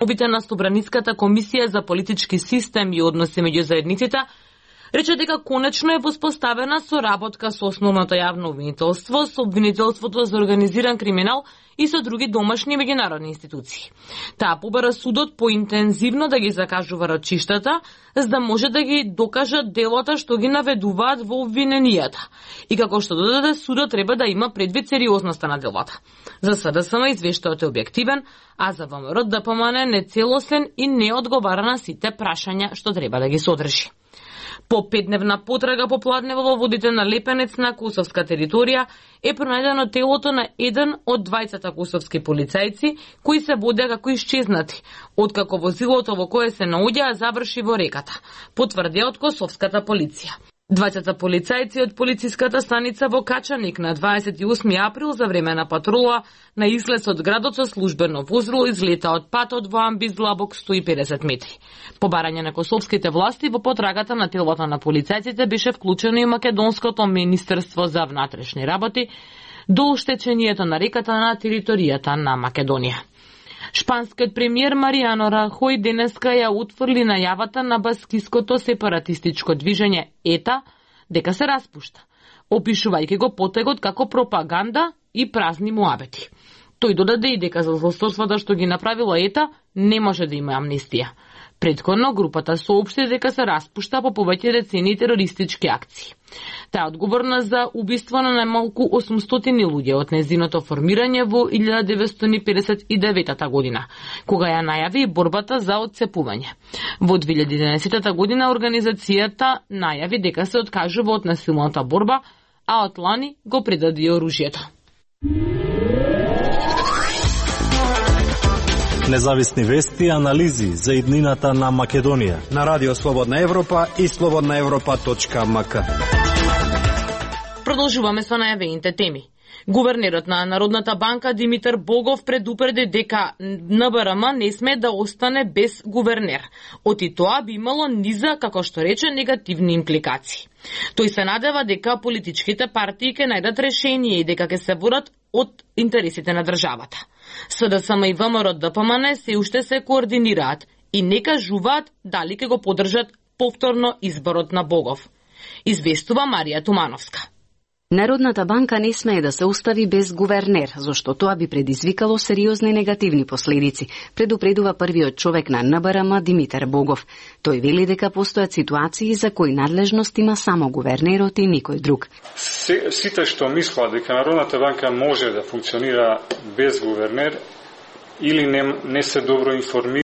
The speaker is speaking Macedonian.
Обите на Собраниската комисија за политички систем и односи меѓу заедниците рече дека конечно е воспоставена соработка со основното јавно обвинителство, со обвинителството за организиран криминал и со други домашни меѓународни институции. Таа побара судот поинтензивно да ги закажува рачиштата, за да може да ги докажат делата што ги наведуваат во обвиненијата. И како што додаде, судот треба да има предвид сериозноста на делата. За СДСМ извештајот е објективен, а за ВМРО ДПМН нецелосен и не одговара на сите прашања што треба да ги содржи. По 5-дневна потрага по Пладнево во водите на Лепенец на косовска територија е пронајдено телото на еден од двајцата косовски полицајци кои се водеа како исчезнати, откако возилото во кое се наоѓаа заврши во реката, потврдија од косовската полиција. Двајцата полицајци од полициската станица во Качаник на 28 април за време на патрула на излез од градот со службено возило излета од патот во амбис длабок 150 метри. По барање на косовските власти во потрагата на телото на полицајците беше вклучено и Македонското министерство за внатрешни работи до оштечењето на реката на територијата на Македонија. Шпанскиот премиер Маријано Рахој денеска ја утврди најавата на баскиското сепаратистичко движење ЕТА дека се распушта, опишувајќи го потегот како пропаганда и празни муабети. Тој додаде и дека за злосторствата што ги направила ЕТА не може да има амнестија. Претходно групата соопшти дека се распушта по повеќе децении терористички акции. Таа одговорна за убиство на најмалку 800 луѓе од незиното формирање во 1959 година, кога ја најави борбата за отцепување. Во 2011 година организацијата најави дека се откажува од насилната борба, а од лани го предаде оружјето. Независни вести и анализи за иднината на Македонија на Радио Слободна Европа и slobodnaevropa.mk. Продолжуваме со најавените теми. Гувернерот на Народната банка Димитар Богов предупреди дека НБРМ не сме да остане без гувернер. Оти тоа би имало низа, како што рече, негативни импликации. Тој се надева дека политичките партии ќе најдат решение и дека ќе се водат од интересите на државата. СДСМ и ВМРО ДПМН се уште се координираат и не кажуваат дали ќе го поддржат повторно изборот на Богов. Известува Марија Тумановска. Народната банка не смее да се остави без гувернер, зашто тоа би предизвикало сериозни негативни последици, предупредува првиот човек на НБРМ Димитар Богов. Тој вели дека постојат ситуации за кои надлежност има само гувернерот и никој друг. Сите што мислат дека Народната банка може да функционира без гувернер или не се добро информирани